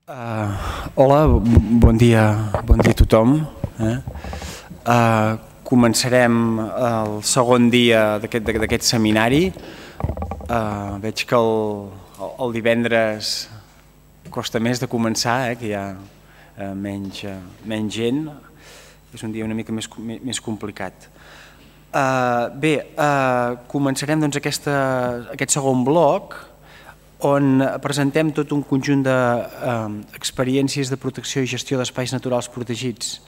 Hola, bon dia a tothom. Començarem el segon dia d'aquest seminari. Veig que el divendres costa més de començar, que hi ha menys gent. És un dia una mica més complicat. Començarem aquest segon bloc on presentem tot un conjunt d'experiències de protecció i gestió d'espais naturals protegits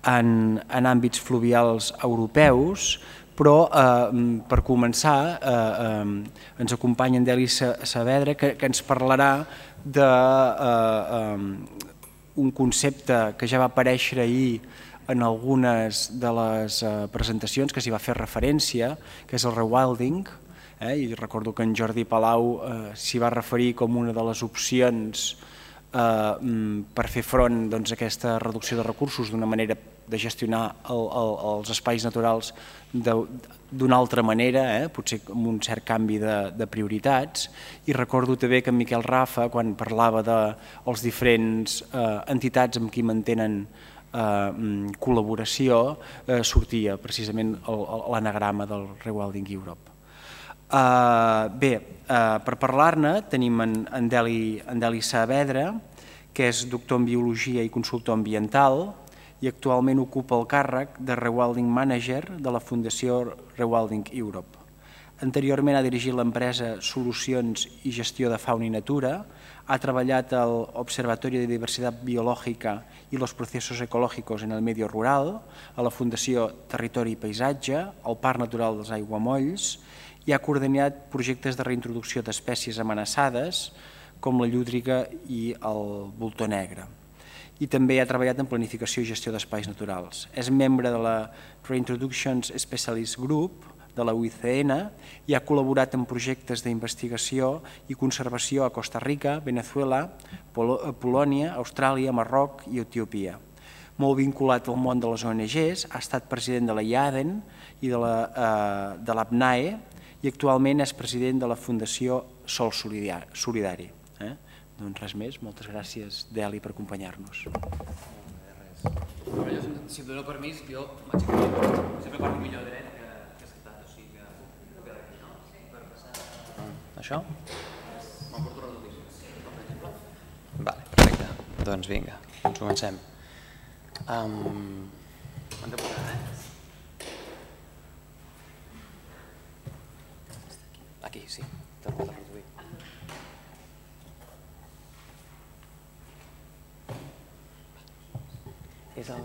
en àmbits fluvials europeus, però per començar ens acompanya en Deli Saavedra, que ens parlarà d'un concepte que ja va aparèixer ahir en algunes de les presentacions que s'hi va fer referència, que és el rewilding. I recordo que en Jordi Palau s'hi va referir com una de les opcions per fer front a aquesta reducció de recursos, d'una manera de gestionar els espais naturals d'una altra manera, potser amb un cert canvi de prioritats. I recordo també que en Miquel Rafa, quan parlava de les diferents entitats amb qui mantenen col·laboració, sortia precisament l'anagrama del Rewilding Europe. Per parlar-ne tenim en Deli Saavedra, que és doctor en Biologia i consultor ambiental i actualment ocupa el càrrec de Rewilding Manager de la Fundació Rewilding Europe. Anteriorment ha dirigit l'empresa Solucions i Gestió de Fauna i Natura, ha treballat al Observatorio de Diversidad Biológica y los Procesos Ecológicos en el Medio Rural, a la Fundació Territori i Paisatge, al Parc Natural dels Aiguamolls, i ha coordinat projectes de reintroducció d'espècies amenaçades com la llúdriga i el voltor negre. I també ha treballat en planificació i gestió d'espais naturals. És membre de la Reintroductions Specialist Group de la UICN i ha col·laborat en projectes d'investigació i conservació a Costa Rica, Venezuela, Polònia, Austràlia, Marroc i Etiòpia. Molt vinculat al món de les ONGs, ha estat president de la IADEN i de l'APNAE, i actualment és president de la Fundació Sol Solidari. Doncs res més, moltes gràcies, Deli, per acompanyar-nos. Si em doneu permís, jo m'aixecaré. Sempre parlo millor dret que estat, o sigui que puc quedar aquí, no? Per passar... Això? Me'n porto les notícies, per exemple? Vale, perfecte. Doncs vinga, comencem. Hem de posar, Aquí, sí, torno a reproduir. És el...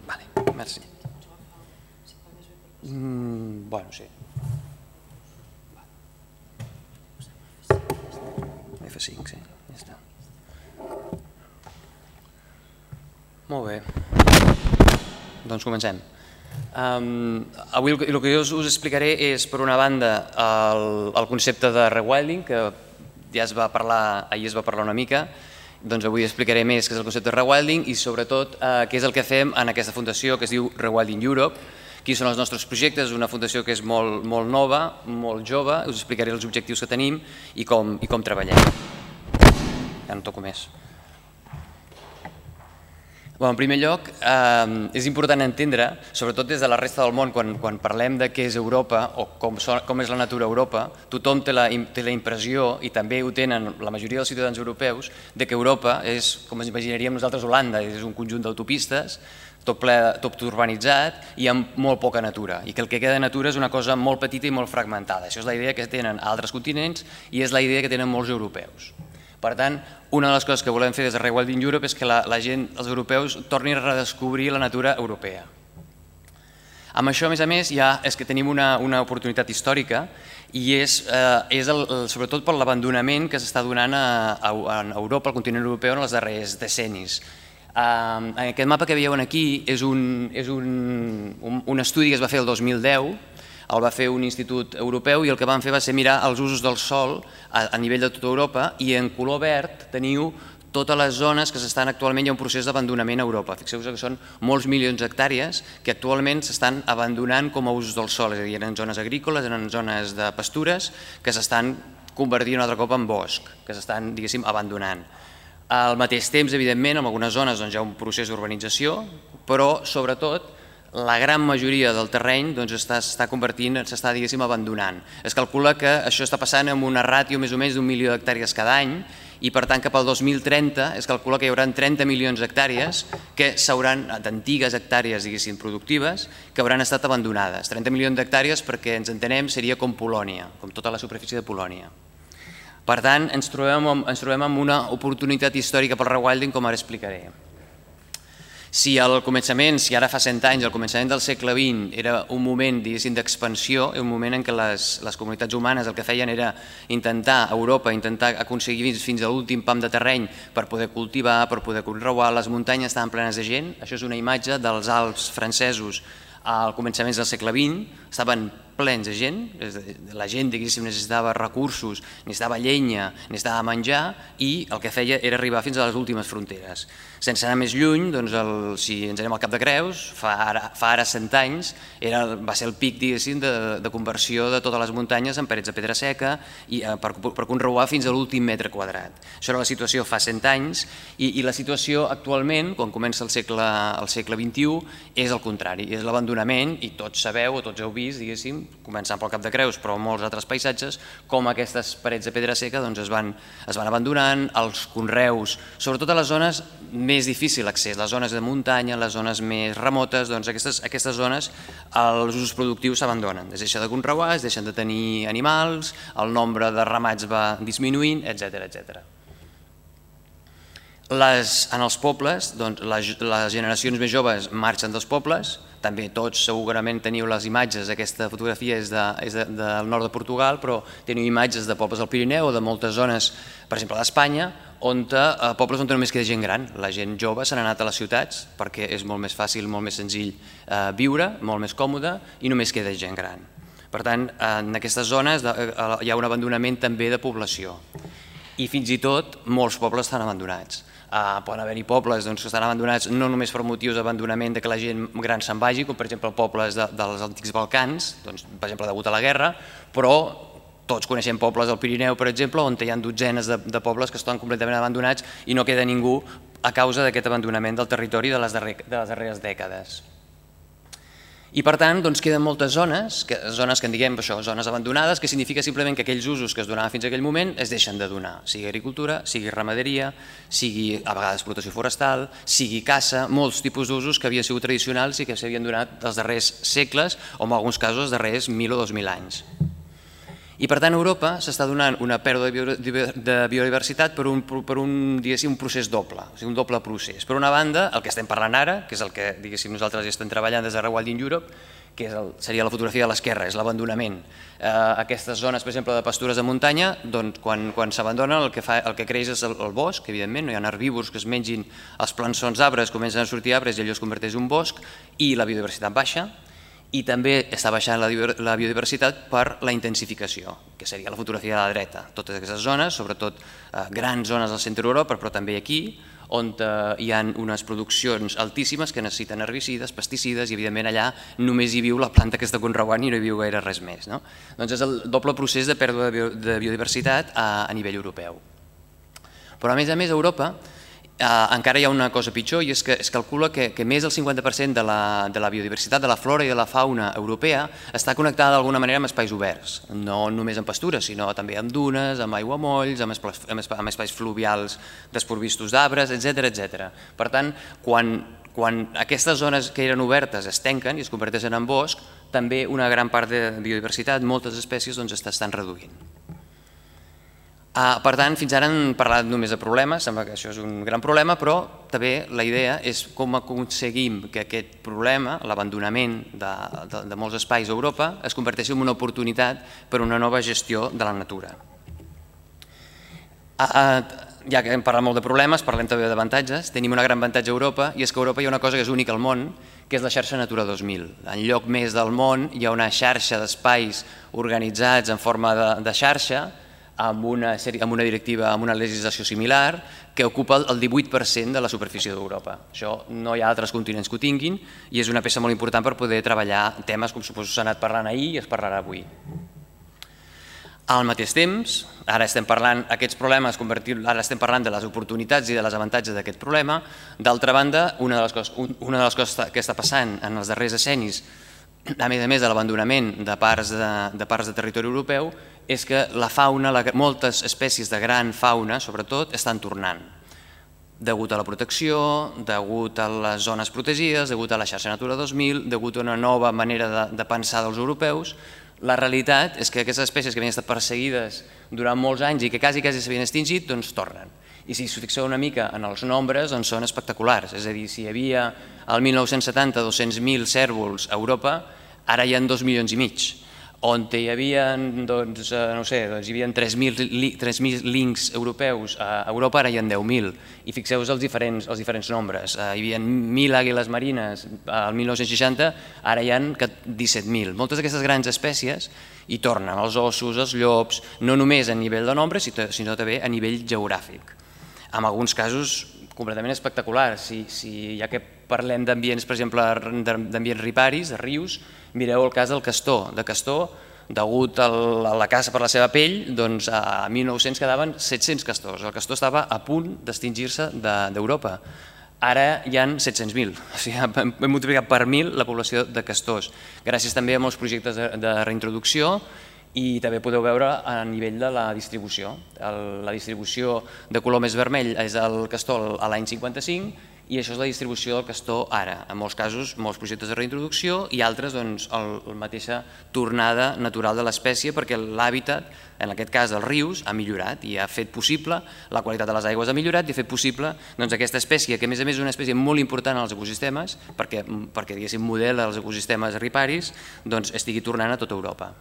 Vale, merci. Bueno, sí. F5, sí, ja està. Molt bé. Doncs comencem. Avui el que jo us explicaré és, per una banda, el concepte de rewilding, que ja ahir es va parlar una mica, doncs avui explicaré més què és el concepte de rewilding i sobretot què és el que fem en aquesta fundació que es diu Rewilding Europe, quins són els nostres projectes, una fundació que és molt nova, molt jove, us explicaré els objectius que tenim i com treballem. Ja no toco més. En primer lloc, és important entendre, sobretot des de la resta del món, quan parlem de què és Europa o com és la natura a Europa, tothom té la impressió, i també ho tenen la majoria dels ciutadans europeus, que Europa és, com ens imaginaríem nosaltres, Holanda, és un conjunt d'autopistes, tot urbanitzat i amb molt poca natura, i que el que queda de natura és una cosa molt petita i molt fragmentada. Això és la idea que tenen altres continents i és la idea que tenen molts europeus. Per tant, una de les coses que volem fer des de Rewilding Europe és que la gent, els europeus, tornin a redescobrir la natura europea. Amb això, a més, és que tenim una oportunitat històrica i és sobretot per l'abandonament que s'està donant a Europa, al continent europeu, en els darrers decennis. Aquest mapa que veieu aquí és un estudi que es va fer el 2010, el va fer un institut europeu i el que van fer va ser mirar els usos del sòl a nivell de tota Europa i en color verd teniu totes les zones que s'estan actualment, hi ha un procés d'abandonament a Europa. Fixeu-vos que són molts milions d'hectàrees que actualment s'estan abandonant com a usos del sol, és a dir, eren zones agrícoles, eren zones de pastures que s'estan convertint un altre cop en bosc, que s'estan, diguéssim, abandonant. Al mateix temps, evidentment, en algunes zones hi ha un procés d'urbanització, però sobretot la gran majoria del terreny s'està convertint, s'està, diguéssim, abandonant. Es calcula que això està passant amb una ràtio més o menys d'1 milió d'hectàrees cada any, i per tant cap al 2030 es calcula que hi haurà 30 milions d'hectàrees que s'hauran, d'antigues hectàrees, diguéssim, productives, que hauran estat abandonades. 30 milions d'hectàrees, perquè ens entenem, seria com Polònia, com tota la superfície de Polònia. Per tant, ens trobem amb una oportunitat històrica pel rewilding, com ara explicaré. Si al començament, si ara fa 100 anys, al començament del segle XX era un moment, diguéssim, d'expansió, un moment en què les comunitats humanes el que feien era intentar, a Europa, intentar aconseguir fins a l'últim pam de terreny per poder cultivar, per poder conrear, les muntanyes estaven plenes de gent. Això és una imatge dels Alps francesos al començament del segle XX, estaven plens de gent, la gent, diguéssim, necessitava recursos, necessitava llenya, necessitava menjar, i el que feia era arribar fins a les últimes fronteres. Sense anar més lluny, si ens anem al Cap de Creus, fa ara 100 anys, va ser el pic, diguéssim, de conversió de totes les muntanyes en parets de pedra seca per conrear fins a l'últim metre quadrat. Això era la situació fa 100 anys, i la situació actualment, quan comença el segle XXI, és el contrari, és l'abandonament, i tots sabeu o tots heu vist, diguéssim, començant pel Cap de Creus, però molts altres paisatges, com aquestes parets de pedra seca es van abandonant, els conreus, sobretot a les zones més difícil accés, les zones de muntanya, les zones més remotes, aquestes zones els usos productius s'abandonen, es deixa de conrear, es deixen de tenir animals, el nombre de ramats va disminuint, etc. En els pobles, les generacions més joves marxen dels pobles, també tots segurament teniu les imatges, aquesta fotografia és del nord de Portugal, però teniu imatges de pobles del Pirineu o de moltes zones, per exemple d'Espanya, pobles on només queda gent gran. La gent jove s'han anat a les ciutats perquè és molt més fàcil, molt més senzill viure, molt més còmode, i només queda gent gran. Per tant, en aquestes zones hi ha un abandonament també de població, i fins i tot molts pobles estan abandonats. Poden haver-hi pobles que estan abandonats no només per motius d'abandonament que la gent gran se'n vagi, com per exemple pobles dels antics Balcans, per exemple degut a la guerra, però tots coneixem pobles del Pirineu, per exemple, on hi ha dotzenes de pobles que estan completament abandonats i no queda ningú a causa d'aquest abandonament del territori de les darreres dècades. I per tant queden moltes zones que en diguem zones abandonades, que significa simplement que aquells usos que es donaven fins a aquell moment es deixen de donar, sigui agricultura, sigui ramaderia, sigui a vegades explotació forestal, sigui caça, molts tipus d'usos que havien sigut tradicionals i que s'havien donat els darrers segles o en alguns casos els darrers 1.000 o 2.000 anys. I per tant a Europa s'està donant una pèrdua de biodiversitat per un procés doble, un doble procés. Per una banda, el que estem parlant ara, que és el que nosaltres estem treballant des de Rewilding Europe, que seria la fotografia de l'esquerra, és l'abandonament. Aquestes zones, per exemple, de pastures de muntanya, quan s'abandonen el que creix és el bosc, evidentment, no hi ha herbívors que es mengin els plançons d'arbres, comencen a sortir arbres i allò es converteix en un bosc, i la biodiversitat baixa. I també està baixant la biodiversitat per la intensificació, que seria la fotografia de la dreta. Totes aquestes zones, sobretot grans zones del centre d'Europa, però també aquí, on hi ha unes produccions altíssimes que necessiten herbicides, pesticides, i evidentment allà només hi viu la planta que està conreant i no hi viu gaire res més. Doncs és el doble procés de pèrdua de biodiversitat a nivell europeu. Però a més a Europa encara hi ha una cosa pitjor, i és que es calcula que més del 50% de la biodiversitat, de la flora i de la fauna europea està connectada d'alguna manera amb espais oberts, no només amb pastures, sinó també amb dunes, amb aiguamolls, amb espais fluvials desprovistos d'arbres, etc. Per tant, quan aquestes zones que eren obertes es tanquen i es converteixen en bosc, també una gran part de biodiversitat, moltes espècies, estan reduint. Per tant, fins ara hem parlat només de problemes, sembla que això és un gran problema, però també la idea és com aconseguim que aquest problema, l'abandonament de molts espais a Europa, es converteixi en una oportunitat per a una nova gestió de la natura. Ja que hem parlat molt de problemes, parlem també d'avantatges. Tenim un gran avantatge a Europa, i és que a Europa hi ha una cosa que és única al món, que és la xarxa Natura 2000. En lloc més del món hi ha una xarxa d'espais organitzats en forma de xarxa, amb una directiva, amb una legislació similar, que ocupa el 18% de la superfície d'Europa. Això no hi ha altres continents que ho tinguin i és una peça molt important per poder treballar temes com suposo s'ha anat parlant ahir i es parlarà avui. Al mateix temps, ara estem parlant aquests problemes, ara estem parlant de les oportunitats i de les avantatges d'aquest problema. D'altra banda, una de les coses que està passant en els darrers decennis, a més de l'abandonament de parts de territori europeu, és que la fauna, moltes espècies de gran fauna, sobretot, estan tornant. Degut a la protecció, degut a les zones protegides, degut a la xarxa Natura 2000, degut a una nova manera de pensar dels europeus, la realitat és que aquestes espècies que havien estat perseguides durant molts anys i que quasi s'havien extingit, doncs tornen. I si us fixeu una mica en els nombres, doncs són espectaculars. És a dir, si hi havia al 1970 200.000 cérvols a Europa, ara hi ha 2,5 milions. On hi havia, doncs, no sé, hi havia 3.000 links europeus a Europa, ara hi ha 10.000. I fixeu-vos els diferents nombres. Hi havia 1.000 àguiles marines al 1960, ara hi ha 17.000. Moltes d'aquestes grans espècies hi tornen, els ossos, els llops, no només a nivell de nombre, sinó també a nivell geogràfic. En alguns casos completament espectaculars. Ja que parlem d'ambients, per exemple, d'ambients riparis, de rius, mireu el cas del castor. De castor, degut a la caça per la seva pell, doncs a 1900 quedaven 700 castors. El castor estava a punt d'extingir-se d'Europa. Ara hi ha 700.000, o sigui, hem multiplicat per 1.000 la població de castors, gràcies també a molts projectes de reintroducció i també podeu veure a nivell de la distribució. La distribució de color més vermell és el castor a l'any 55 i això és la distribució del castor ara. En molts casos, molts projectes de reintroducció i altres, doncs, la mateixa tornada natural de l'espècie perquè l'hàbitat, en aquest cas dels rius, ha millorat i ha fet possible, la qualitat de les aigües ha millorat i ha fet possible aquesta espècie, que a més és una espècie molt important als ecosistemes, perquè diguéssim modela els ecosistemes riparis, doncs estigui tornant a tota Europa.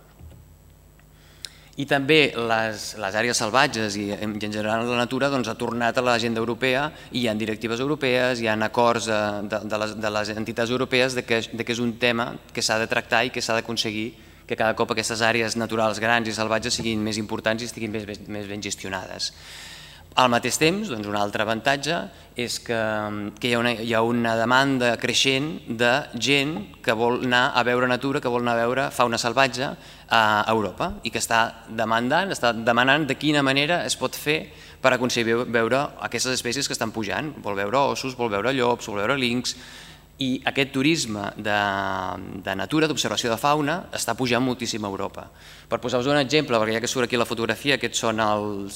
I també les àrees salvatges i en general la natura ha tornat a l'agenda europea i hi ha directives europees, hi ha acords de les entitats europees que és un tema que s'ha de tractar i que s'ha d'aconseguir que cada cop aquestes àrees naturals grans i salvatges siguin més importants i estiguin més ben gestionades. Al mateix temps, un altre avantatge és que hi ha una demanda creixent de gent que vol anar a veure natura, que vol anar a veure fauna salvatge a Europa i que està demanant de quina manera es pot fer per aconseguir veure aquestes espècies que estan pujant. Vol veure ossos, vol veure llops, vol veure links. I aquest turisme de natura, d'observació de fauna, està pujant moltíssim a Europa. Per posar-vos un exemple, perquè ja que surt aquí la fotografia, aquests són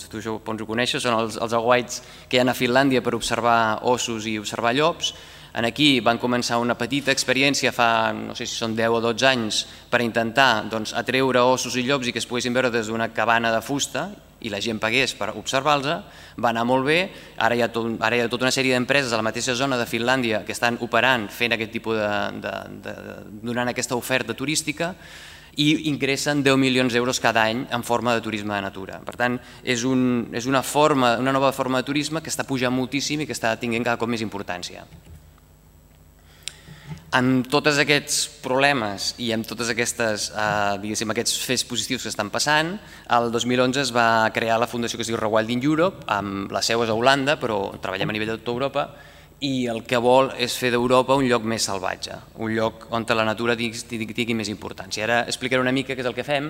tu això ho coneixes, són els aguaits que hi ha a Finlàndia per observar ossos i observar llops. Aquí van començar una petita experiència fa, no sé si són 10 o 12 anys, per intentar atreure ossos i llops i que es poguessin veure des d'una cabana de fusta i la gent pagués per observar-los, va anar molt bé. Ara hi ha tota una sèrie d'empreses a la mateixa zona de Finlàndia que estan operant, fent aquest tipus donant aquesta oferta turística i ingressen 10 milions d'euros cada any en forma de turisme de natura. Per tant, és una nova forma de turisme que està pujant moltíssim i que està tenint cada cop més importància. Amb tots aquests problemes i amb tots aquests fets positius que estan passant, el 2011 es va crear la fundació que es diu Rewilding Europe, amb la seu és a Holanda, però treballem a nivell de tota Europa, i el que vol és fer d'Europa un lloc més salvatge, un lloc on la natura tingui més importància. Ara explicaré una mica què és el que fem,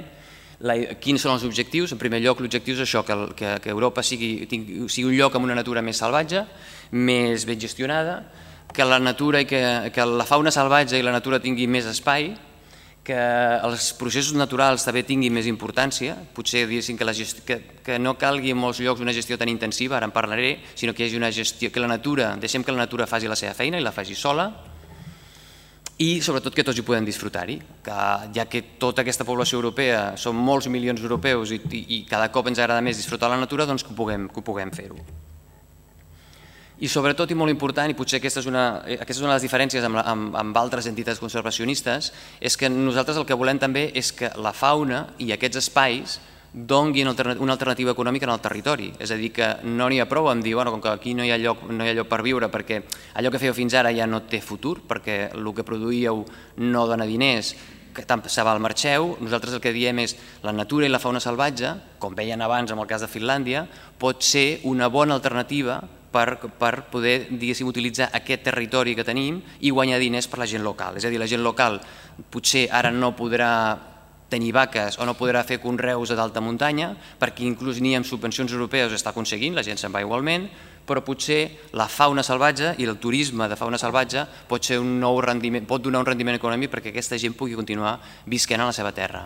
quins són els objectius. En primer lloc, l'objectiu és això, que Europa sigui un lloc amb una natura més salvatge, més ben gestionada, que la natura i que la fauna salvatge i la natura tingui més espai, que els processos naturals també tinguin més importància, potser diguéssim que no calgui en molts llocs una gestió tan intensiva, ara en parlaré, sinó que hi hagi una gestió, que la natura, deixem que la natura faci la seva feina i la faci sola, i sobretot que tots hi podem disfrutar-hi, ja que tota aquesta població europea, són molts milions d'europeus i cada cop ens agrada més disfrutar la natura, doncs que ho puguem fer-ho. I sobretot, i molt important, i potser aquesta és una de les diferències amb altres entitats conservacionistes, és que nosaltres el que volem també és que la fauna i aquests espais donguin una alternativa econòmica en el territori. És a dir, que no n'hi ha prou amb dir que aquí no hi ha lloc per viure perquè allò que fèieu fins ara ja no té futur, perquè el que produíeu no dona diners que tant se val marxeu, nosaltres el que diem és la natura i la fauna salvatge, com veien abans en el cas de Finlàndia, pot ser una bona alternativa per poder, diguéssim, utilitzar aquest territori que tenim i guanyar diners per la gent local. És a dir, la gent local potser ara no podrà tenir vaques o no podrà fer conreus a d'alta muntanya, perquè inclús ni amb subvencions europees ho està aconseguint, la gent se'n va igualment, però potser la fauna salvatge i el turisme de fauna salvatge pot donar un rendiment econòmic perquè aquesta gent pugui continuar visquent a la seva terra.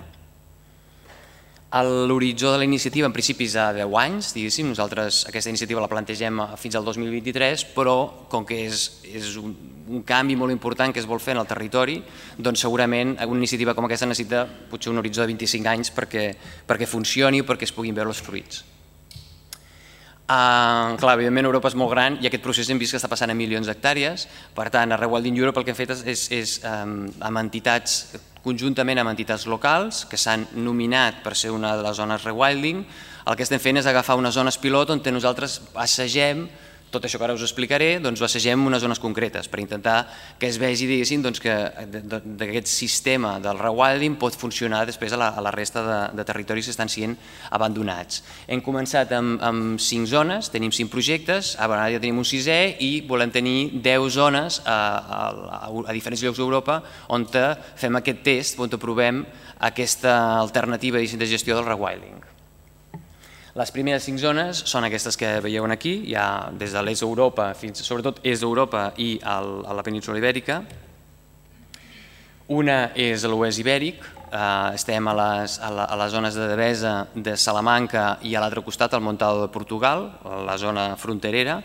L'horitzó de la iniciativa en principi és a 10 anys, diguéssim, nosaltres aquesta iniciativa la plantegem fins al 2023, però com que és un canvi molt important que es vol fer en el territori, doncs segurament una iniciativa com aquesta necessita potser un horitzó de 25 anys perquè funcioni o perquè es puguin veure els fruits. Clar, evidentment Europa és molt gran i aquest procés hem vist que està passant a milions d'hectàrees, per tant a Rewilding Europe el que hem fet és amb entitats, conjuntament amb entitats locals que s'han nominat per ser una de les zones rewilding, el que estem fent és agafar unes zones pilot on nosaltres assagem tot això que ara us explicaré, doncs ho assagem unes zones concretes per intentar que es vegi, diguéssim, que aquest sistema del rewilding pot funcionar després a la resta de territoris que estan sent abandonats. Hem començat amb 5 zones, tenim 5 projectes, ara ja tenim un 6è i volem tenir 10 zones a diferents llocs d'Europa on fem aquest test, on provem aquesta alternativa de gestió del rewilding. Les primeres 5 zones són aquestes que veieu aquí, ja des de l'est d'Europa, sobretot est d'Europa i a la península ibèrica. Una és a l'oest ibèric, estem a les zones de Devesa, de Salamanca i a l'altre costat, al Montado de Portugal, la zona fronterera.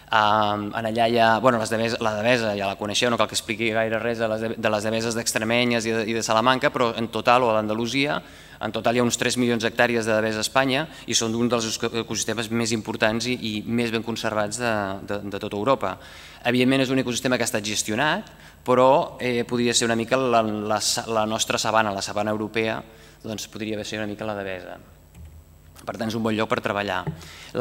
Allà hi ha, la Devesa ja la coneixeu, no cal que expliqui gaire res de les Deveses d'Extremenyes i de Salamanca, però en total, o a l'Andalusia, en total hi ha uns 3 milions d'hectàrees de devesa a Espanya i són un dels ecosistemes més importants i més ben conservats de tota Europa. Evidentment és un ecosistema que ha estat gestionat, però podria ser una mica la nostra sabana, la sabana europea, doncs podria ser una mica la devesa. Per tant, és un bon lloc per treballar.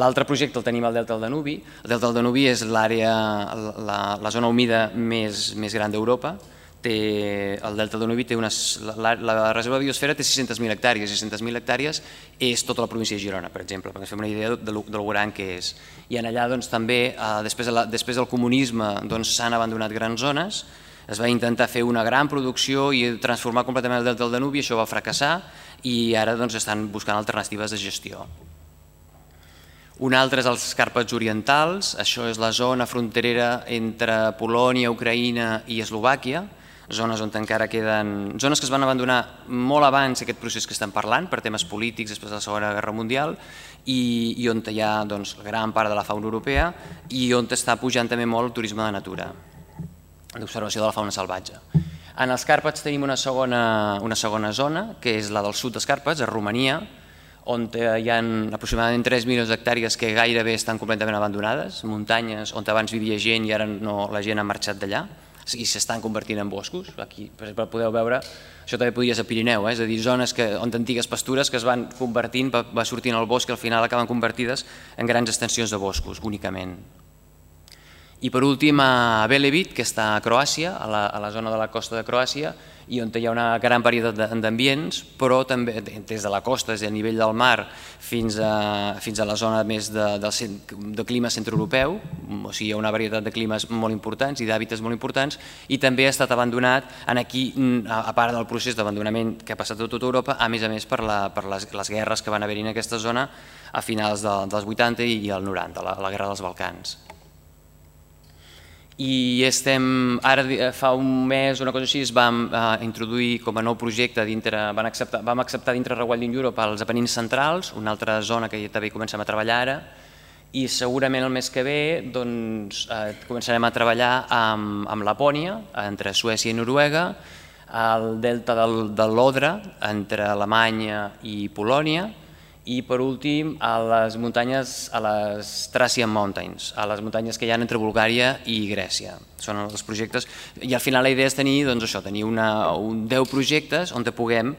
L'altre projecte el tenim al Delta del Danubi. El Delta del Danubi és la zona humida més gran d'Europa. El Delta del Danubi té la reserva de biosfera té 600.000 hectàrees. 600.000 hectàrees és tota la província de Girona, per exemple, perquè ens fem una idea del gran que és. I allà també, després del comunisme, s'han abandonat grans zones, es va intentar fer una gran producció i transformar completament el Delta del Danubi, això va fracassar i ara estan buscant alternatives de gestió. Un altre és els Càrpats orientals, això és la zona fronterera entre Polònia, Ucraïna i Eslovàquia, zones on encara queden... zones que es van abandonar molt abans d'aquest procés que estem parlant, per temes polítics després de la Segona Guerra Mundial, i on hi ha gran part de la fauna europea i on està pujant també molt el turisme de natura, d'observació de la fauna salvatge. En els Càrpats tenim una segona zona, que és la del sud dels Càrpats, a Romania, on hi ha aproximadament 3 milions d'hectàrees que gairebé estan completament abandonades, muntanyes on abans vivia gent i ara la gent ha marxat d'allà i s'estan convertint en boscos. Aquí, per exemple, podeu veure, això també podria ser Pirineu, és a dir, zones on antigues pastures que es van convertint, va sortint al bosc i al final acaben convertides en grans extensions de boscos, únicament. I per últim a Velebit, que està a Croàcia, a la zona de la costa de Croàcia, i on hi ha una gran varietat d'ambients, però també des de la costa, des del nivell del mar, fins a la zona més de clima centroeuropeu, o sigui, hi ha una varietat de climes molt importants i d'hàbitats molt importants, i també ha estat abandonat, aquí, a part del procés d'abandonament que ha passat a tota Europa, a més per les guerres que van haver-hi en aquesta zona a finals dels 80 i el 90, la guerra dels Balcans. I ara fa un mes, una cosa així, es vam introduir com a nou projecte, vam acceptar dintre Rewilding Europe els Apenins centrals, una altra zona que també comencem a treballar ara, i segurament el mes que ve començarem a treballar amb Lapònia, entre Suècia i Noruega, al delta de l'Odra, entre Alemanya i Polònia, i per últim a les muntanyes, a les Thracian Mountains, a les muntanyes que hi ha entre Bulgària i Grècia. Són els projectes, i al final la idea és tenir 10 projectes on puguem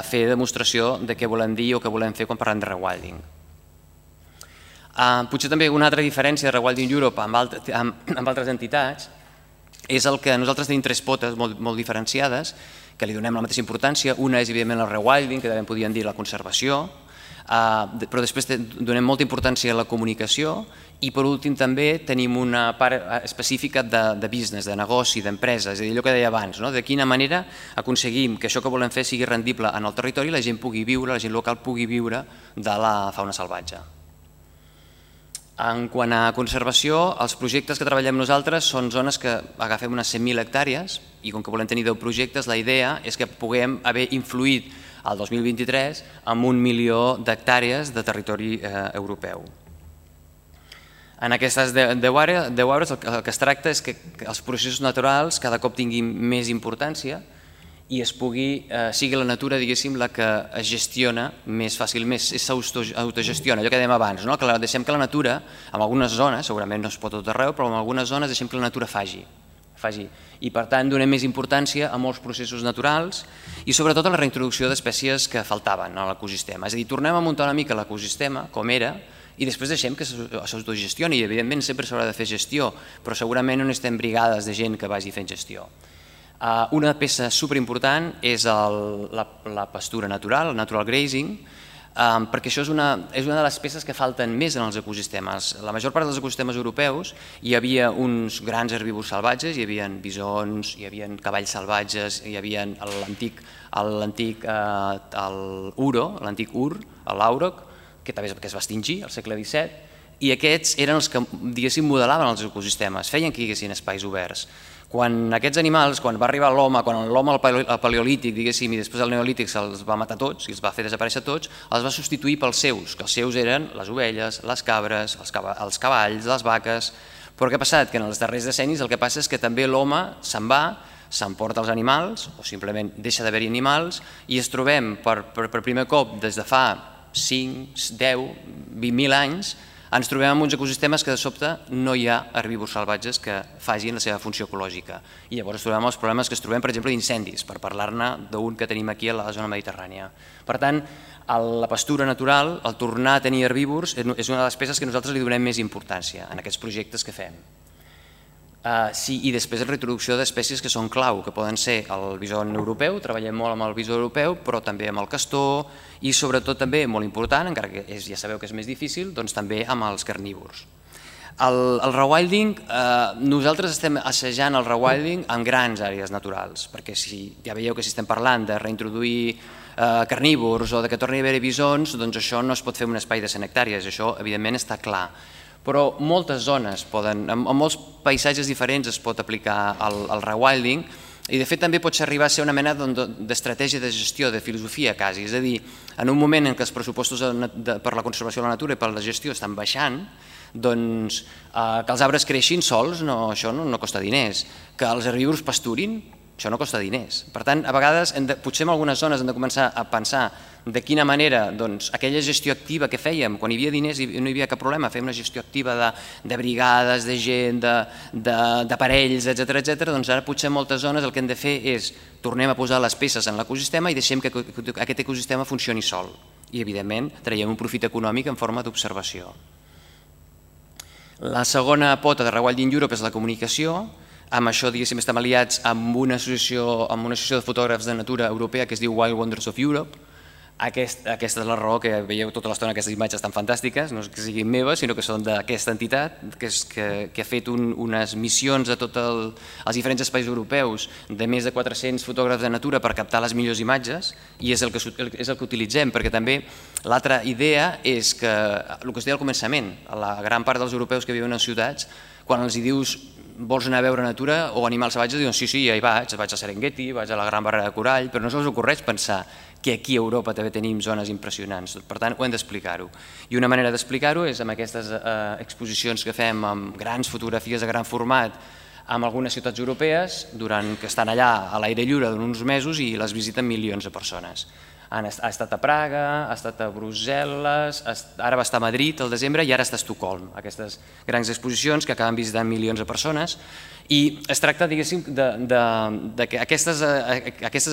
fer demostració de què volem dir o què volem fer quan parlem de rewilding. Potser també una altra diferència de Rewilding Europe amb altres entitats és el que nosaltres tenim 3 potes molt diferenciades, que li donem la mateixa importància. Una és, evidentment, el rewilding, que també podríem dir la conservació, però després donem molta importància a la comunicació i, per últim, també tenim una part específica de business, de negoci, d'empresa, és a dir, allò que deia abans, de quina manera aconseguim que això que volem fer sigui rendible en el territori i la gent pugui viure, la gent local pugui viure de la fauna salvatge. En quant a conservació, els projectes que treballem nosaltres són zones que agafem unes 100.000 hectàrees i com que volem tenir 10 projectes, la idea és que puguem haver influït el 2023 amb 1 milió d'hectàrees de territori europeu. En aquestes 10 àrees el que es tracta és que els processos naturals cada cop tinguin més importància i sigui la natura, diguéssim, la que es gestiona més fàcilment, s'autogestiona, allò que dèiem abans, que deixem que la natura, en algunes zones, segurament no es pot tot arreu, però en algunes zones deixem que la natura faci. I per tant donem més importància a molts processos naturals i sobretot a la reintroducció d'espècies que faltaven a l'ecosistema. És a dir, tornem a muntar una mica l'ecosistema com era i després deixem que s'autogestioni i evidentment sempre s'haurà de fer gestió, però segurament no necessitem brigades de gent que vagi fent gestió. Una peça superimportant és la pastura natural, el natural grazing, perquè això és una de les peces que falten més en els ecosistemes. La major part dels ecosistemes europeus hi havia uns grans herbívors salvatges, hi havia bisons, hi havia cavalls salvatges, hi havia l'antic ur, l'àuroc, que també es va extingir al segle XVII, i aquests eren els que, diguéssim, modelaven els ecosistemes, feien que hi haguessin espais oberts. Quan aquests animals, quan va arribar l'home, quan l'home al paleolític, diguéssim, i després al neolític se'ls va matar tots i els va fer desaparèixer tots, els va substituir pels seus, que els seus eren les ovelles, les cabres, els cavalls, les vaques. Però què ha passat? Que en els darrers decennis el que passa és que també l'home se'n va, s'emporta els animals, o simplement deixa d'haver-hi animals, i ens trobem per primer cop des de fa 5, 10, 20.000 anys, ens trobem en uns ecosistemes que de sobte no hi ha herbívors salvatges que facin la seva funció ecològica. I llavors trobem els problemes que es trobem, per exemple, d'incendis, per parlar-ne d'un que tenim aquí a la zona mediterrània. Per tant, la pastura natural, el tornar a tenir herbívors, és una de les peces que nosaltres li donem més importància en aquests projectes que fem. I després la reintroducció d'espècies que són clau, que poden ser el bison europeu, treballem molt amb el bison europeu, però també amb el castor i sobretot també, molt important, encara que ja sabeu que és més difícil, doncs també amb els carnívors. El rewilding, nosaltres estem assajant el rewilding en grans àrees naturals, perquè ja veieu que si estem parlant de reintroduir carnívors o que torni a haver-hi bisons, doncs això no es pot fer en un espai de 100 hectàrees, això evidentment està clar. Però moltes zones en molts paisatges diferents es pot aplicar el rewilding i de fet també pot arribar a ser una mena d'estratègia de gestió, de filosofia quasi, és a dir, en un moment en què els pressupostos per la conservació de la natura i per la gestió estan baixant, doncs que els arbres creixin sols, això no costa diners, que els herbívors pasturin, això no costa diners. Per tant, a vegades, potser en algunes zones hem de començar a pensar de quina manera aquella gestió activa que fèiem, quan hi havia diners i no hi havia cap problema, fèiem una gestió activa de brigades, de gent, d'aparells, etc. Doncs ara potser en moltes zones el que hem de fer és tornem a posar les peces en l'ecosistema i deixem que aquest ecosistema funcioni sol. I, evidentment, traiem un profit econòmic en forma d'observació. La segona pota de Rewilding Europe és la comunicació. Amb això, diguéssim, estem aliats amb una associació de fotògrafs de natura europea que es diu Wild Wonders of Europe. Aquesta és la raó que veieu tota l'estona aquestes imatges tan fantàstiques, no és que siguin meves, sinó que són d'aquesta entitat que ha fet unes missions a tots els diferents espais europeus de més de 400 fotògrafs de natura per captar les millors imatges i és el que utilitzem, perquè també l'altra idea és que, el que es deia al començament, la gran part dels europeus que viuen en ciutats, quan els dius vols anar a veure natura o animals salvatges, diuen sí, ja hi vaig a Serengeti, vaig a la Gran Barrera de Corall, però no se'ls ocorreix pensar que aquí a Europa també tenim zones impressionants. Per tant, ho hem d'explicar-ho. I una manera d'explicar-ho és amb aquestes exposicions que fem amb grans fotografies de gran format amb algunes ciutats europees que estan allà a l'aire lliure d'uns mesos i les visiten milions de persones. Ha estat a Praga, ha estat a Brussel·les, ara va estar a Madrid al desembre i ara està a Estocolm, aquestes grans exposicions que acaben visitant milions de persones. I es tracta, diguéssim, que aquestes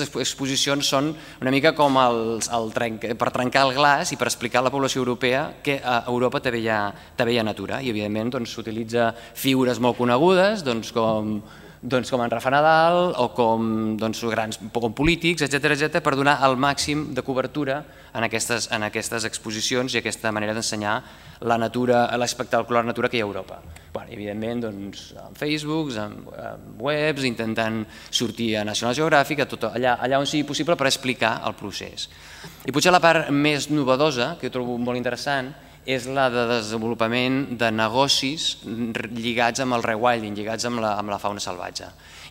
exposicions són una mica com per trencar el glaç i per explicar a la població europea que a Europa també hi ha natura i, evidentment, s'utilitza figures molt conegudes com com en Rafa Nadal o com polítics, etc., per donar el màxim de cobertura en aquestes exposicions i aquesta manera d'ensenyar la natura, l'espectacular natura que hi ha a Europa. Evidentment, en Facebook, en webs, intentant sortir a National Geographic, allà on sigui possible per explicar el procés. I potser la part més novedosa, que jo trobo molt interessant, és la de desenvolupament de negocis lligats amb el rewilding, lligats amb la fauna salvatge.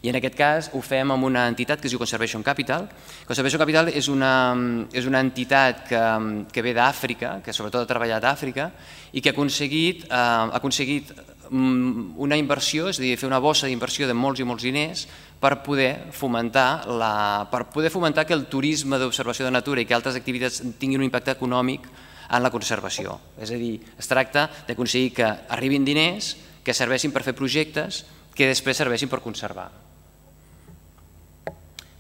I en aquest cas ho fem amb una entitat que es diu Conservation Capital. Conservation Capital és una entitat que ve d'Àfrica, que sobretot ha treballat a Àfrica, i que ha aconseguit una inversió, és a dir, fer una bossa d'inversió de molts i molts diners per poder fomentar que el turisme d'observació de natura i que altres activitats tinguin un impacte econòmic en la conservació. És a dir, es tracta d'aconseguir que arribin diners que serveixin per fer projectes que després serveixin per conservar.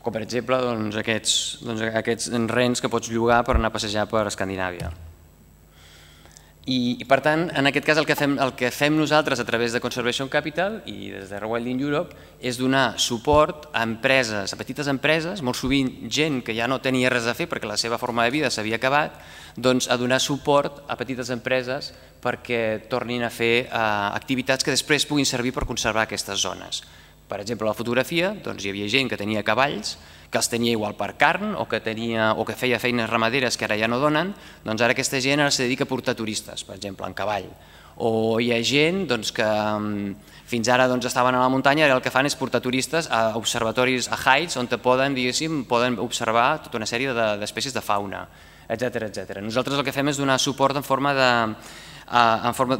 Com per exemple aquests rens que pots llogar per anar a passejar per Escandinàvia. I per tant, en aquest cas el que fem nosaltres a través de Conservation Capital i des de Rewilding Europe és donar suport a empreses, a petites empreses, molt sovint gent que ja no tenia res a fer perquè la seva forma de vida s'havia acabat, doncs a donar suport a petites empreses perquè tornin a fer activitats que després puguin servir per conservar aquestes zones. Per exemple, a la fotografia hi havia gent que tenia cavalls, que els tenia igual per carn o que feia feines ramaderes que ara ja no donen, doncs ara aquesta gent se dedica a portar turistes, per exemple, en cavall. O hi ha gent que fins ara estaven a la muntanya i ara el que fan és portar turistes a observatoris, a heights, on poden observar tota una sèrie d'espècies de fauna, etc. Nosaltres el que fem és donar suport en forma de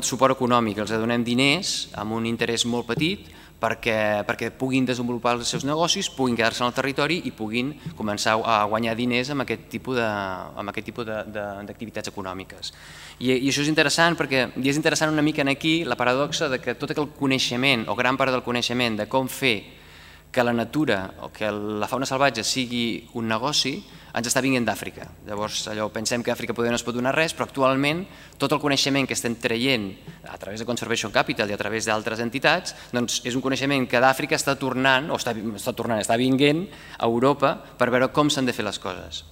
suport econòmic, els donem diners amb un interès molt petit perquè puguin desenvolupar els seus negocis, puguin quedar-se en el territori i puguin començar a guanyar diners amb aquest tipus d'activitats econòmiques. I això és interessant perquè és interessant una mica aquí la paradoxa que tot aquell coneixement o gran part del coneixement de com fer que la natura o que la fauna salvatge sigui un negoci ens està vinguent d'Àfrica. Llavors pensem que Àfrica poder no es pot donar res, però actualment tot el coneixement que estem traient a través de Conservation Capital i a través d'altres entitats és un coneixement que d'Àfrica està tornant, o està vinguent a Europa per veure com s'han de fer les coses.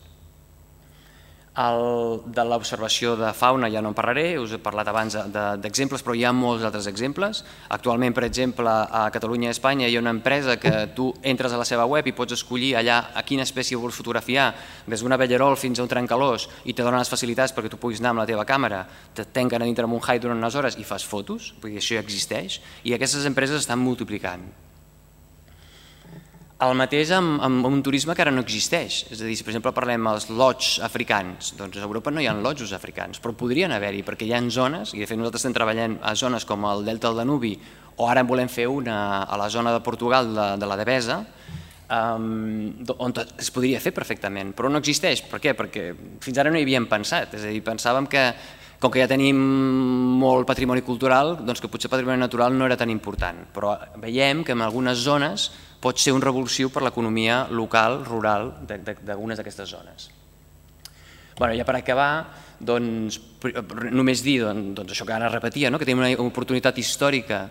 De l'observació de fauna ja no en parlaré, us he parlat abans d'exemples, però hi ha molts altres exemples. Actualment, per exemple, a Catalunya i a Espanya hi ha una empresa que tu entres a la seva web i pots escollir allà a quina espècie vols fotografiar, des d'un abellerol fins a un trencalòs, i te donen les facilitats perquè tu puguis anar amb la teva càmera, te tanquen a dintre amb un hide durant unes hores i fas fotos, vull dir, això ja existeix, i aquestes empreses estan multiplicant. El mateix amb un turisme que ara no existeix, és a dir, si per exemple parlem dels lodges africans, doncs a Europa no hi ha lodges africans, però podrien haver-hi perquè hi ha zones, i de fet nosaltres estem treballant a zones com el Delta del Danubi, o ara en volem fer una a la zona de Portugal de la Devesa, on es podria fer perfectament, però no existeix. Per què? Perquè fins ara no hi havíem pensat, és a dir, pensàvem que com que ja tenim molt patrimoni cultural, doncs que potser patrimoni natural no era tan important, però veiem que en algunes zones pot ser un revulsiu per l'economia local, rural, d'algunes d'aquestes zones. Ja per acabar, només dir això que ara repetia, que tenim una oportunitat històrica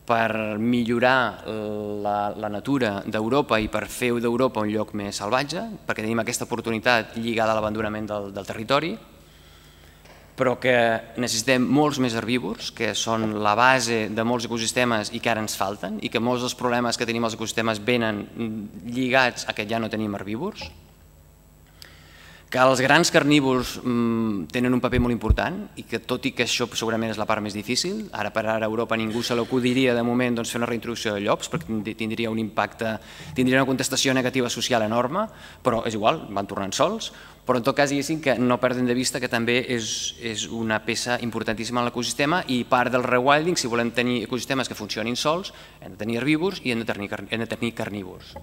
per millorar la natura d'Europa i per fer d'Europa un lloc més salvatge, perquè tenim aquesta oportunitat lligada a l'abandonament del territori, però que necessitem molts més herbívors, que són la base de molts ecosistemes i que ara ens falten, i que molts dels problemes que tenim als ecosistemes venen lligats a que ja no tenim herbívors, que els grans carnívors tenen un paper molt important i que tot i que això segurament és la part més difícil, ara per ara a Europa ningú se l'acudiria de moment fer una reintroducció de llops perquè tindria un impacte, tindria una contestació negativa social enorme, però és igual, van tornant sols, però en tot cas diguéssim que no perdem de vista que també és una peça importantíssima en l'ecosistema i part del rewilding, si volem tenir ecosistemes que funcionin sols, hem de tenir herbívors i hem de tenir carnívors.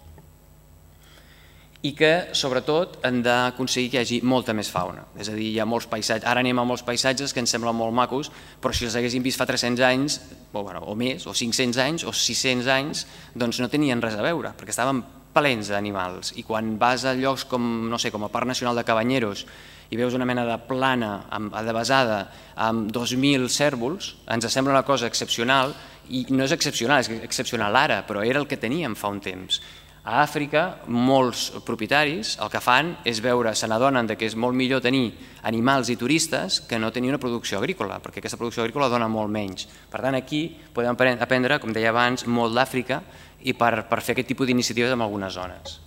I que, sobretot, hem d'aconseguir que hi hagi molta més fauna. És a dir, hi ha molts paisatges, ara anem a molts paisatges que ens semblen molt macos, però si els haguéssim vist fa 300 anys, o més, o 500 anys, o 600 anys, doncs no tenien res a veure, perquè estaven plens d'animals. I quan vas a llocs com, no sé, com el Parc Nacional de Cabanyeros i veus una mena de plana adevesada amb 2.000 cérvols, ens sembla una cosa excepcional, i no és excepcional, és excepcional ara, però era el que teníem fa un temps. A Àfrica, molts propietaris el que fan és veure, se n'adonen que és molt millor tenir animals i turistes que no tenir una producció agrícola, perquè aquesta producció agrícola dona molt menys. Per tant, aquí podem aprendre, com deia abans, molt d'Àfrica i per fer aquest tipus d'iniciatives en algunes zones.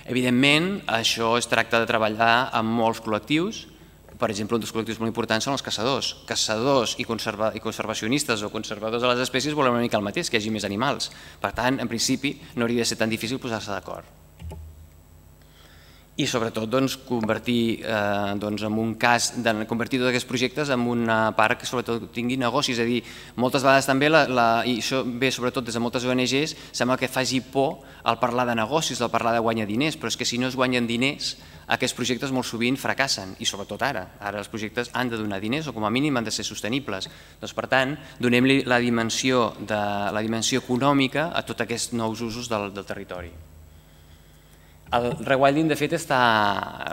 Evidentment, això es tracta de treballar amb molts col·lectius. Per exemple, un dels col·lectius molt importants són els caçadors. Caçadors i conservacionistes o conservadors de les espècies volen una mica el mateix, que hi hagi més animals. Per tant, en principi, no hauria de ser tan difícil posar-se d'acord. I sobretot convertir en un cas, convertir tots aquests projectes en una part que sobretot tingui negocis. És a dir, moltes vegades també, i això ve sobretot des de moltes ONGs, sembla que faci por al parlar de negocis, al parlar de guanyar diners, però és que si no es guanyen diners, aquests projectes molt sovint fracassen, i sobretot ara. Ara els projectes han de donar diners o com a mínim han de ser sostenibles. Doncs, per tant, donem-li la dimensió econòmica a tots aquests nous usos del territori. El Rewilding, de fet,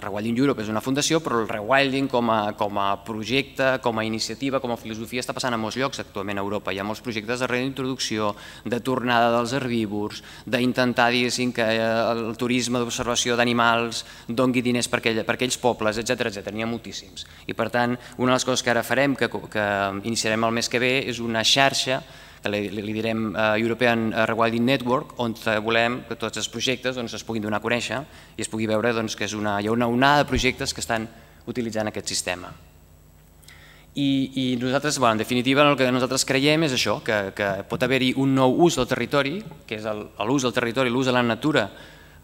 Rewilding Europe és una fundació, però el Rewilding com a projecte, com a iniciativa, com a filosofia, està passant a molts llocs actualment a Europa. Hi ha molts projectes de reintroducció, de tornada dels herbívors, d'intentar, diguéssim, que el turisme d'observació d'animals doni diners per aquells pobles, etc. N'hi ha moltíssims. I, per tant, una de les coses que ara farem, que iniciarem el mes que ve, és una xarxa que li direm European Rewilding Network, on volem que tots els projectes es puguin donar a conèixer i es pugui veure que hi ha una onada de projectes que estan utilitzant aquest sistema. I nosaltres, en definitiva, el que nosaltres creiem és això, que pot haver-hi un nou ús del territori, que és l'ús del territori, l'ús de la natura,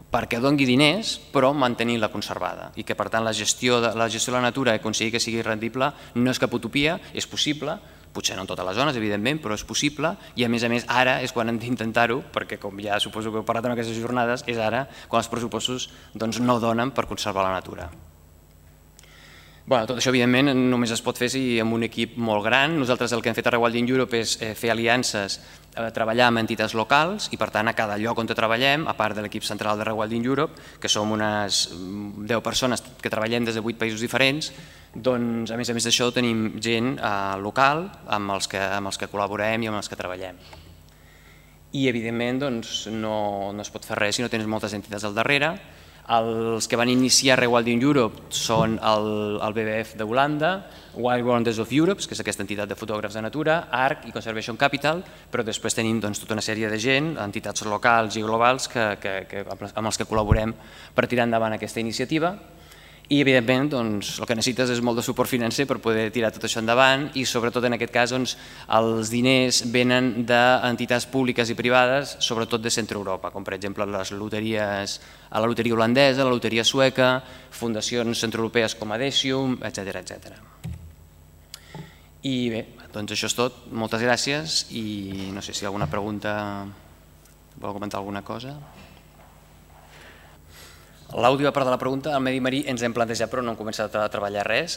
perquè doni diners, però mantenint-la conservada. I que, per tant, la gestió de la natura i aconseguir que sigui rendible no és cap utopia, és possible, potser no en totes les zones, evidentment, però és possible, i a més ara és quan hem d'intentar-ho, perquè com ja suposo que heu parlat en aquestes jornades, és ara quan els pressupostos no donen per conservar la natura. Tot això, evidentment, només es pot fer amb un equip molt gran. Nosaltres el que hem fet a Rewilding Europe és fer aliances, treballar amb entitats locals i, per tant, a cada lloc on treballem, a part de l'equip central de Rewilding Europe, que som unes 10 persones que treballem des de 8 països diferents, doncs, a més d'això, tenim gent local amb els que col·laborem i amb els que treballem. I, evidentment, no es pot fer res si no tens moltes entitats al darrere. Els que van iniciar Rewilding Europe són el BBF d'Holanda, Wild Wonders of Europe, que és aquesta entitat de fotògrafs de natura, ARC i Conservation Capital, però després tenim tota una sèrie de gent, entitats locals i globals amb els que col·laborem per tirar endavant aquesta iniciativa. I, evidentment, el que necessites és molt de suport financer per poder tirar tot això endavant i, sobretot, en aquest cas, els diners venen d'entitats públiques i privades, sobretot de Centre Europa, com, per exemple, les loteries, la loteria holandesa, la loteria sueca, fundacions centroeuropees com Adesium, etc. I bé, doncs això és tot. Moltes gràcies i no sé si alguna pregunta vol comentar alguna cosa. L'última part de la pregunta, al medi marí ens hem plantejat però no hem començat a treballar res.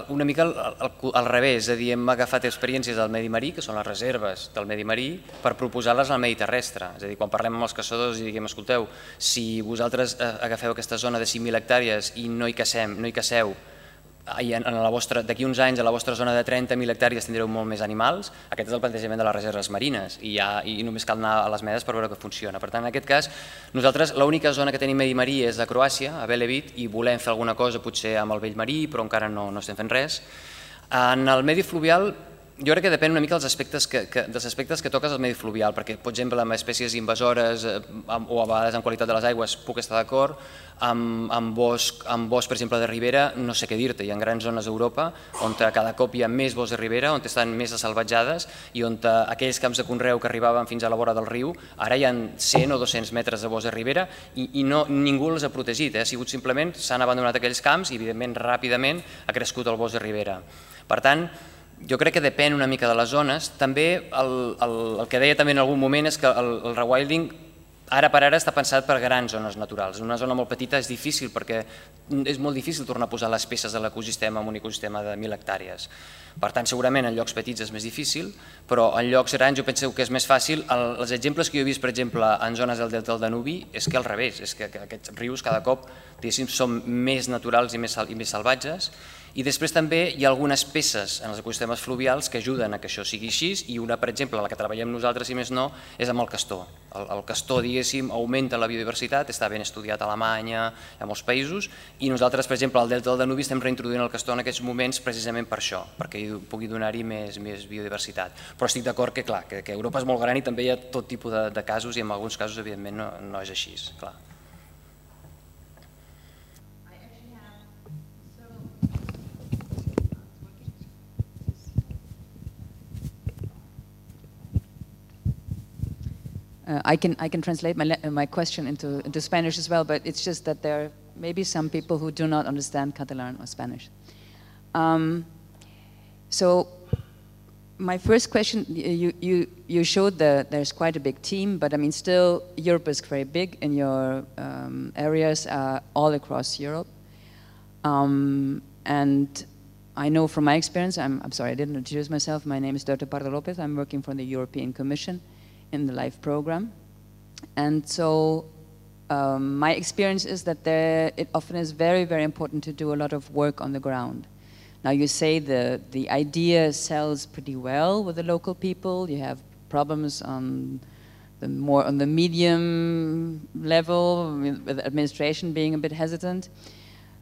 Una mica al revés, és a dir, hem agafat experiències del medi marí, que són les reserves del medi marí, per proposar-les al medi terrestre. És a dir, quan parlem amb els caçadors i diguem, escolteu, si vosaltres agafeu aquesta zona de 5.000 hectàrees i no hi caceu, d'aquí uns anys a la vostra zona de 30.000 hectàrees tindreu molt més animals. Aquest és el plantejament de les reserves marines i només cal anar a les medes per veure que funciona. Per tant, en aquest cas, nosaltres l'única zona que tenim medi marí és a Croàcia, a Velebit, i volem fer alguna cosa potser amb el vell marí, però encara no estem fent res. En el medi fluvial, jo crec que depèn una mica dels aspectes que toques al medi fluvial, perquè, per exemple, amb espècies invasores o a vegades en qualitat de les aigües puc estar d'acord, amb bosc, per exemple, de ribera, no sé què dir-te. Hi ha grans zones d'Europa on cada cop hi ha més boscs de ribera, on estan més salvatjades i on aquells camps de conreu que arribaven fins a la vora del riu, ara hi ha 100 o 200 metres de bosc de ribera i ningú els ha protegit. Ha sigut simplement, s'han abandonat aquells camps i, evidentment, ràpidament ha crescut el bosc de ribera. Per tant, jo crec que depèn una mica de les zones. També el que deia també en algun moment és que el rewilding ara per ara està pensat per grans zones naturals. En una zona molt petita és difícil perquè és molt difícil tornar a posar les peces de l'ecosistema en un ecosistema de 1.000 hectàrees. Per tant, segurament en llocs petits és més difícil, però en llocs grans jo penso que és més fàcil. Els exemples que jo he vist, per exemple, en zones del delta del Danubi, és que al revés, és que aquests rius cada cop són més naturals i més salvatges. I després també hi ha algunes peces en els ecosistemes fluvials que ajuden a que això sigui així, i una, per exemple, la que treballem nosaltres, si més no, és amb el castor. El castor, diguéssim, augmenta la biodiversitat, està ben estudiat a Alemanya, a molts països, i nosaltres, per exemple, al delta del Danubi estem reintroduint el castor en aquests moments precisament per això, perquè pugui donar-hi més biodiversitat. Però estic d'acord que, clar, que Europa és molt gran i també hi ha tot tipus de casos, i en alguns casos, evidentment, no és així, clar. I can translate my question into Spanish as well, but it's just that there are maybe some people who do not understand Catalan or Spanish. So my first question, you showed that there's quite a big team, but I mean still Europe is very big, and your areas are all across Europe. And I know from my experience, I'm sorry I didn't introduce myself, my name is Dorte Pardo Lopez, I'm working for the European Commission in the LIFE program. And so my experience is that it often is very, very important to do a lot of work on the ground. Now you say the idea sells pretty well with the local people, you have problems on the medium level, with administration being a bit hesitant,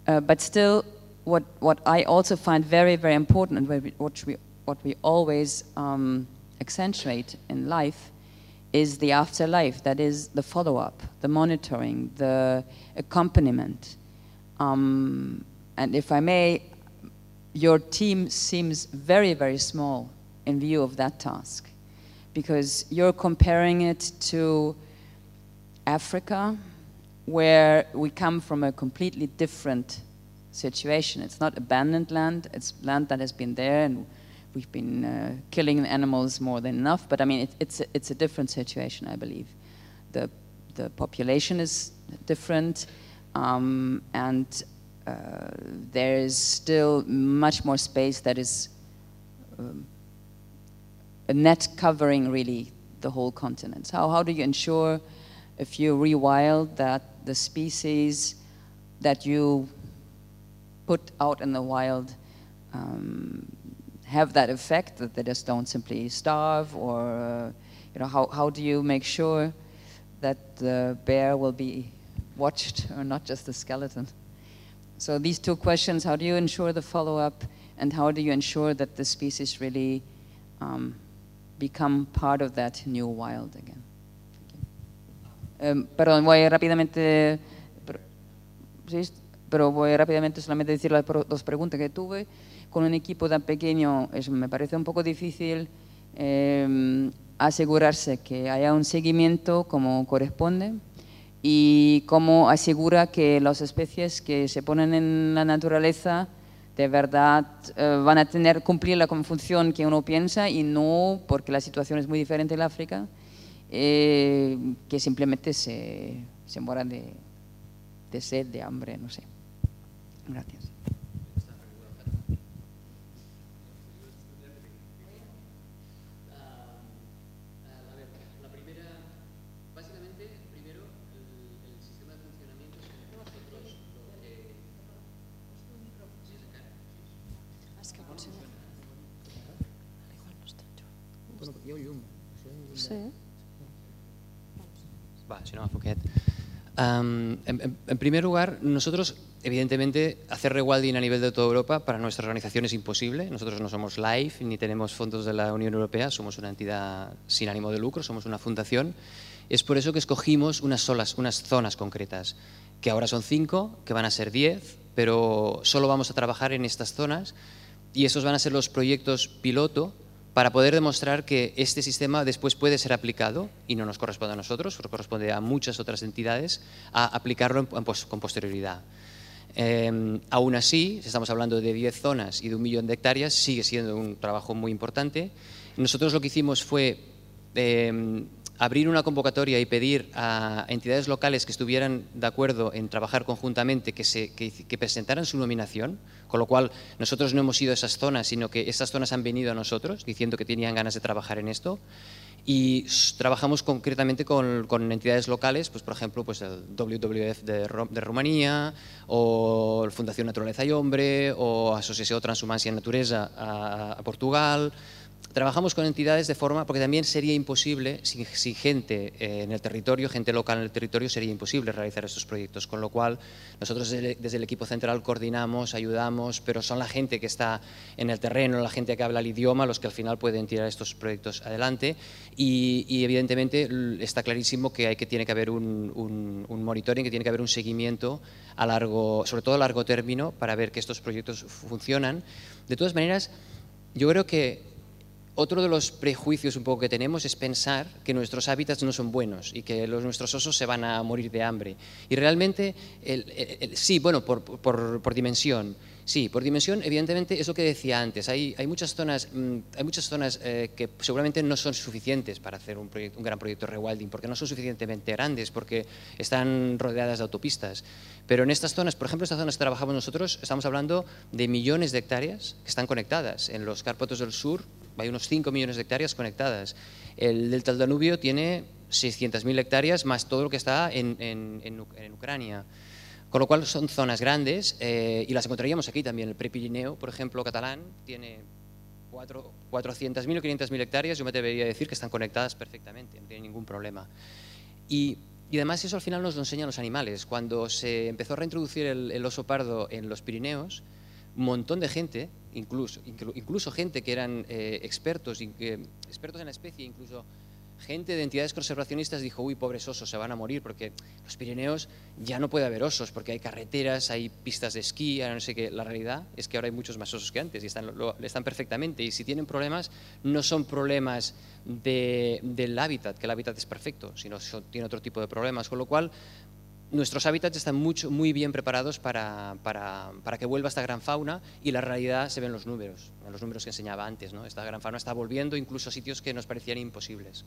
but still what I also find very, very important, and what we always accentuate in LIFE, is the afterlife, that is the follow-up, the monitoring, the accompaniment. And if I may, your team seems very, very small in view of that task, because you're comparing it to Africa, where we come from a completely different situation. It's not abandoned land, it's land that has been there, and we've been killing animals more than enough, but I mean, it's a different situation, I believe. The population is different, and there is still much more space that is a net covering really the whole continent. How do you ensure, if you rewild, that the species that you put out in the wild have that effect, that they just don't simply starve, or how do you make sure that the bear will be watched or not just the skeleton? So these two questions: how do you ensure the follow-up, and how do you ensure that the species really become part of that new wild again? Perdón, voy rápidamente, pero voy rápidamente solamente a decir las dos preguntas que tuve. Con un equipo tan pequeño me parece un poco difícil asegurarse que haya un seguimiento como corresponde, y cómo asegura que las especies que se ponen en la naturaleza de verdad van a cumplir la función que uno piensa, y no, porque la situación es muy diferente en África, que simplemente se mueran de sed, de hambre, no sé. Gracias. Sí. Va, si no m'enfoquet. En primer lugar, nosotros, evidentemente, hacer rewilding a nivel de toda Europa para nuestra organización es imposible. Nosotros no somos LIFE ni tenemos fondos de la Unión Europea, somos una entidad sin ánimo de lucro, somos una fundación. Es por eso que escogimos unas zonas concretas, que ahora son 5, que van a ser 10, pero solo vamos a trabajar en estas zonas, y esos van a ser los proyectos piloto para poder demostrar que este sistema después puede ser aplicado, y no nos corresponde a nosotros, pero corresponde a muchas otras entidades, a aplicarlo con posterioridad. Aún así, si estamos hablando de 10 zonas y de 1 millón de hectáreas, sigue siendo un trabajo muy importante. Nosotros lo que hicimos fue abrir una convocatoria y pedir a entidades locales que estuvieran de acuerdo en trabajar conjuntamente que presentaran su nominación, con lo cual nosotros no hemos ido a esas zonas, sino que esas zonas han venido a nosotros diciendo que tenían ganas de trabajar en esto. Y trabajamos concretamente con entidades locales, pues por ejemplo pues el WWF de Rumanía, o la Fundación Naturaleza y Hombre, o Asociació Transhumància i Naturesa a Portugal. Trabajamos con entidades de forma, porque también sería imposible, sin gente en el territorio, gente local en el territorio, sería imposible realizar estos proyectos, con lo cual nosotros desde el equipo central coordinamos, ayudamos, pero son la gente que está en el terreno, la gente que habla el idioma, los que al final pueden tirar estos proyectos adelante y evidentemente está clarísimo que tiene que haber un monitoring, que tiene que haber un seguimiento sobre todo a largo término para ver que estos proyectos funcionan. De todas maneras, yo creo que otro de los prejuicios un poco que tenemos es pensar que nuestros hábitats no son buenos y que nuestros osos se van a morir de hambre. Y realmente, sí, bueno, por dimensión. Sí, por dimensión, evidentemente, es lo que decía antes. Hay muchas zonas que seguramente no son suficientes para hacer un gran proyecto de rewilding, porque no son suficientemente grandes, porque están rodeadas de autopistas. Pero en estas zonas, por ejemplo, estas zonas que trabajamos nosotros, estamos hablando de millones de hectáreas que están conectadas. En los Cárpatos del Sur hay unos 5 millones de hectáreas conectadas. El delta del Danubio tiene 600.000 hectáreas más todo lo que está en Ucrania. Con lo cual son zonas grandes y las encontraríamos aquí también. El Prepirineo, por ejemplo, catalán, tiene 400.000 o 500.000 hectáreas. Yo me atrevería a decir que están conectadas perfectamente, no tienen ningún problema. Y además eso al final nos lo enseñan los animales. Cuando se empezó a reintroducir el oso pardo en los Pirineos, un montón de gente, incluso gente que eran expertos en la especie, incluso gente de entidades conservacionistas dijo, uy, pobres osos, se van a morir porque los Pirineos ya no puede haber osos porque hay carreteras, hay pistas de esquí, no sé qué. La realidad es que ahora hay muchos más osos que antes y están perfectamente, y si tienen problemas no son problemas del hábitat, que el hábitat es perfecto, sino tiene otro tipo de problemas, con lo cual nuestros hábitats están muy bien preparados para que vuelva esta gran fauna, y la realidad se ve en los números que enseñaba antes, ¿no? Esta gran fauna está volviendo incluso a sitios que nos parecían imposibles.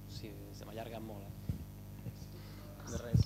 Sí, se m'allarga molt. De res.